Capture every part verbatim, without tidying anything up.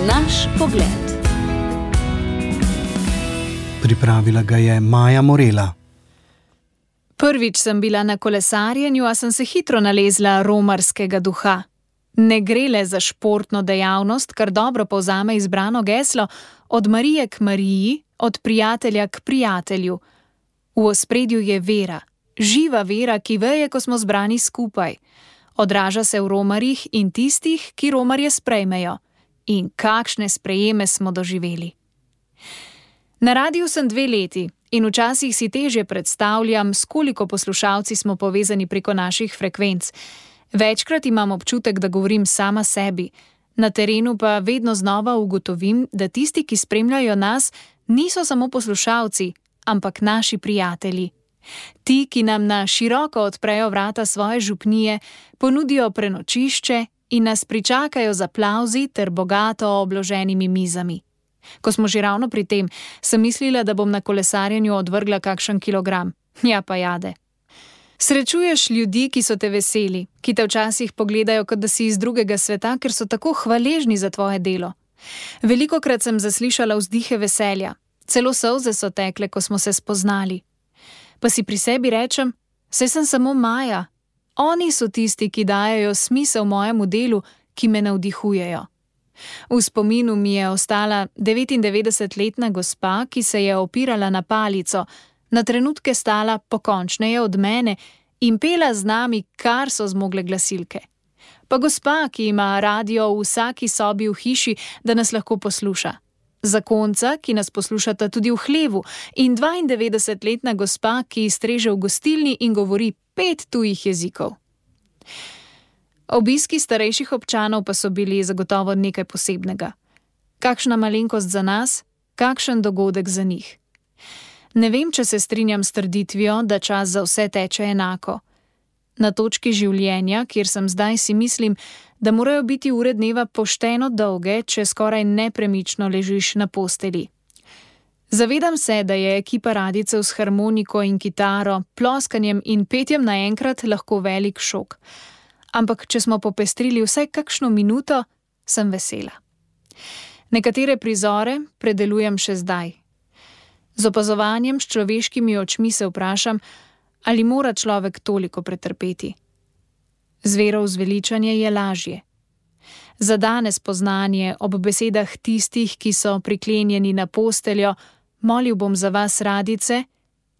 Naš pogled. Pripravila ga je Maja Morela. Prvič sem bila na kolesarjenju, a sem se hitro nalezla romarskega duha. Ne gre le za športno dejavnost, kar dobro povzame izbrano geslo, od Marije k Mariji, od prijatelja k prijatelju. V ospredju je vera, živa vera, ki veje, ko smo zbrani skupaj. Odraža se v romarjih in tistih, ki romarje sprejmejo. In kakšne sprejeme smo doživeli. Na radiju sem dve leti in včasih si težje predstavljam, s koliko poslušalci smo povezani preko naših frekvenc. Večkrat imam občutek, da govorim sama sebi. Na terenu pa vedno znova ugotovim, da tisti, ki spremljajo nas, niso samo poslušalci, ampak naši prijatelji. Ti, ki nam na široko odprejo vrata svoje župnije, ponudijo prenočišče in nas pričakajo z aplavzi ter bogato obloženimi mizami. Ko smo že ravno pri tem, sem mislila, da bom na kolesarjenju odvrgla kakšen kilogram. Ja pa jade. Srečuješ ljudi, ki so te veseli, ki te včasih pogledajo, kot da si iz drugega sveta, ker so tako hvaležni za tvoje delo. Velikokrat sem zaslišala vzdihe veselja, celo solze so tekle, ko smo se spoznali. Pa si pri sebi rečem, saj sem samo Maja. Oni so tisti, ki dajejo smisel mojemu delu, ki me navdihujejo. V spominu mi je ostala devetindevetdesetletna gospa, ki se je opirala na palico, na trenutke stala pokončneje od mene in pela z nami, kar so zmogle glasilke. Pa gospa, ki ima radio v vsaki sobi v hiši, da nas lahko posluša. Zakonca, ki nas poslušata tudi v hlevu, in dvaindevetdesetletna gospa, ki streže v gostilni in govori pet tujih jezikov. Obiski starejših občanov pa so bili zagotovo nekaj posebnega. Kakšna malenkost za nas, kakšen dogodek za njih. Ne vem, če se strinjam s trditvijo, da čas za vse teče enako. Na točki življenja, kjer sem zdaj, si mislim, da morajo biti ure dneva pošteno dolge, če skoraj nepremično ležiš na posteli. Zavedam se, da je ekipa radijcev s harmoniko in kitaro, ploskanjem in petjem naenkrat lahko velik šok. Ampak če smo popestrili vsaj kakšno minuto, sem vesela. Nekatere prizore predelujem še zdaj. Z opazovanjem s človeškimi očmi se vprašam, ali mora človek toliko pretrpeti. Z vero v zveličanje je lažje. Za danes poznanje ob besedah tistih, ki so priklenjeni na posteljo, molil bom za vas, radijce,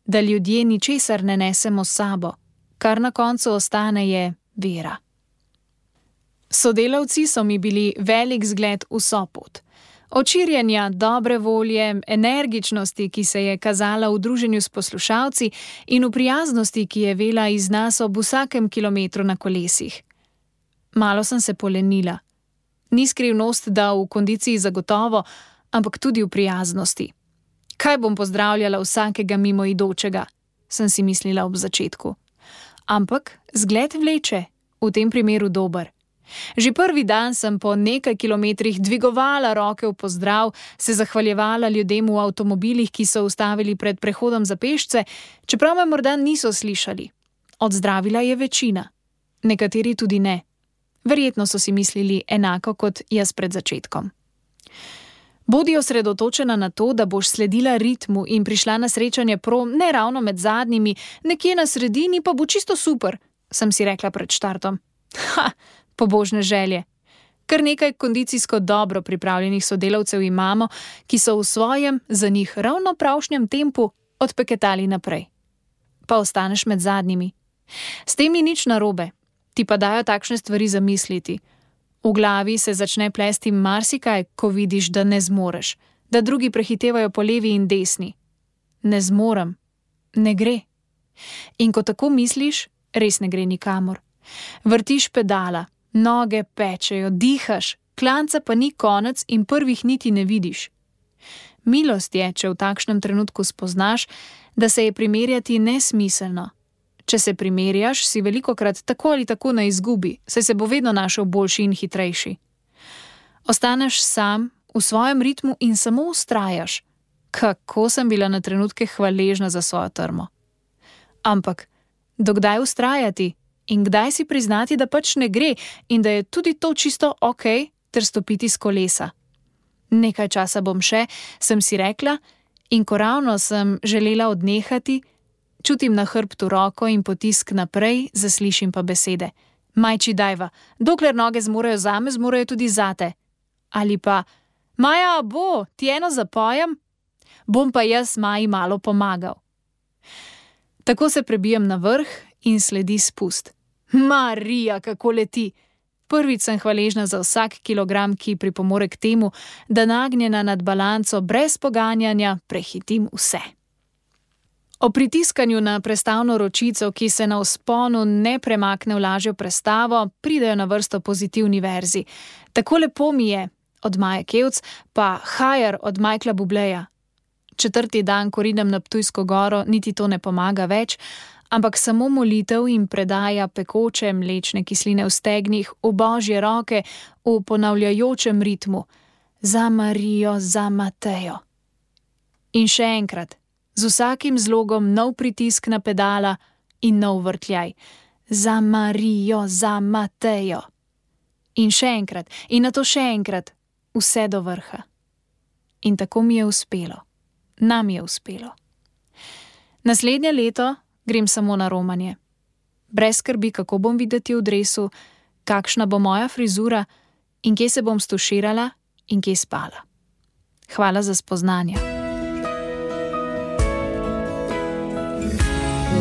da ljudje ničesar ne nesemo s sabo, kar na koncu ostane je vera. Sodelavci so mi bili velik zgled vso pot. Od širjenja dobre volje, energičnosti, ki se je kazala v druženju s poslušalci, in v prijaznosti, ki je vela iz nas ob vsakem kilometru na kolesih. Malo sem se polenila. Ni skrivnost, da v kondiciji zagotovo, ampak tudi v prijaznosti. Kaj bom pozdravljala vsakega mimoidočega, sem si mislila ob začetku. Ampak zgled vleče, v tem primeru dober. Že prvi dan sem po nekaj kilometrih dvigovala roke v pozdrav, se zahvaljevala ljudem v avtomobilih, ki so ustavili pred prehodom za pešce, čeprav me morda niso slišali. Odzdravila je večina. Nekateri tudi ne. Verjetno so si mislili enako kot jaz pred začetkom. Bodi osredotočena na to, da boš sledila ritmu in prišla na srečanje prom ne ravno med zadnjimi, nekje na sredini pa bo čisto super, sem si rekla pred štartom. Ha! Pobožne želje. Kar nekaj kondicijsko dobro pripravljenih sodelavcev imamo, ki so v svojem, za njih ravno pravšnjem tempu odpeketali naprej. Pa ostaneš med zadnjimi. S tem ni nič narobe, ti pa dajo takšne stvari zamisliti. V glavi se začne plesti marsikaj, ko vidiš, da ne zmoreš, da drugi prehitevajo po levi in desni. Ne zmorem, ne gre. In ko tako misliš, res ne gre nikamor. Vrtiš pedala, noge pečejo, dihaš, klanca pa ni konec in prvih niti ne vidiš. Milost je, če v takšnem trenutku spoznaš, da se je primerjati nesmiselno. Če se primerjaš, si velikokrat tako ali tako na izgubi, saj se bo vedno našel boljši in hitrejši. Ostaneš sam, v svojem ritmu in samo vztrajaš. Kako sem bila na trenutke hvaležna za svojo trmo. Ampak, dokdaj vztrajati? In kdaj si priznati, da pač ne gre in da je tudi to čisto okej, ter stopiti s kolesa. Nekaj časa bom še, sem si rekla, in ko ravno sem želela odnehati, čutim na hrbtu roko in potisk naprej, zaslišim pa besede. Majči dajva, dokler noge zmorejo zame, zmorejo tudi zate. Ali pa, Maja, bo, ti eno zapojem? Bom pa jaz Maji malo pomagal. Tako se prebijem na vrh in sledi spust. Marija, kako leti! Prvič sem hvaležna za vsak kilogram, ki pripomore k temu, da nagnjena nad balanco brez poganjanja prehitim vse. O pritiskanju na prestavno ročico, ki se na vzponu ne premakne v lažjo prestavo, pridejo na vrsto pozitivni verzi. Tako lepo mi je, od Maje Kevc, pa Hajer od Michaela Bubleja. Četrti dan, ko ridem na Ptujsko goro, niti to ne pomaga več, ampak samo molitev in predaja pekoče mlečne kisline v stegnih, v Božje roke, v ponavljajočem ritmu. Za Marijo, za Matejo. In še enkrat, z vsakim zlogom nov pritisk na pedala in nov vrtljaj. Za Marijo, za Matejo. In še enkrat, in nato še enkrat, vse do vrha. In tako mi je uspelo. Nam je uspelo. Naslednje leto grem samo na romanje. Brez skrbi, kako bom videti v dresu, kakšna bo moja frizura in kje se bom stuširala in kje spala. Hvala za spoznanje.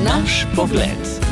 Naš pogled.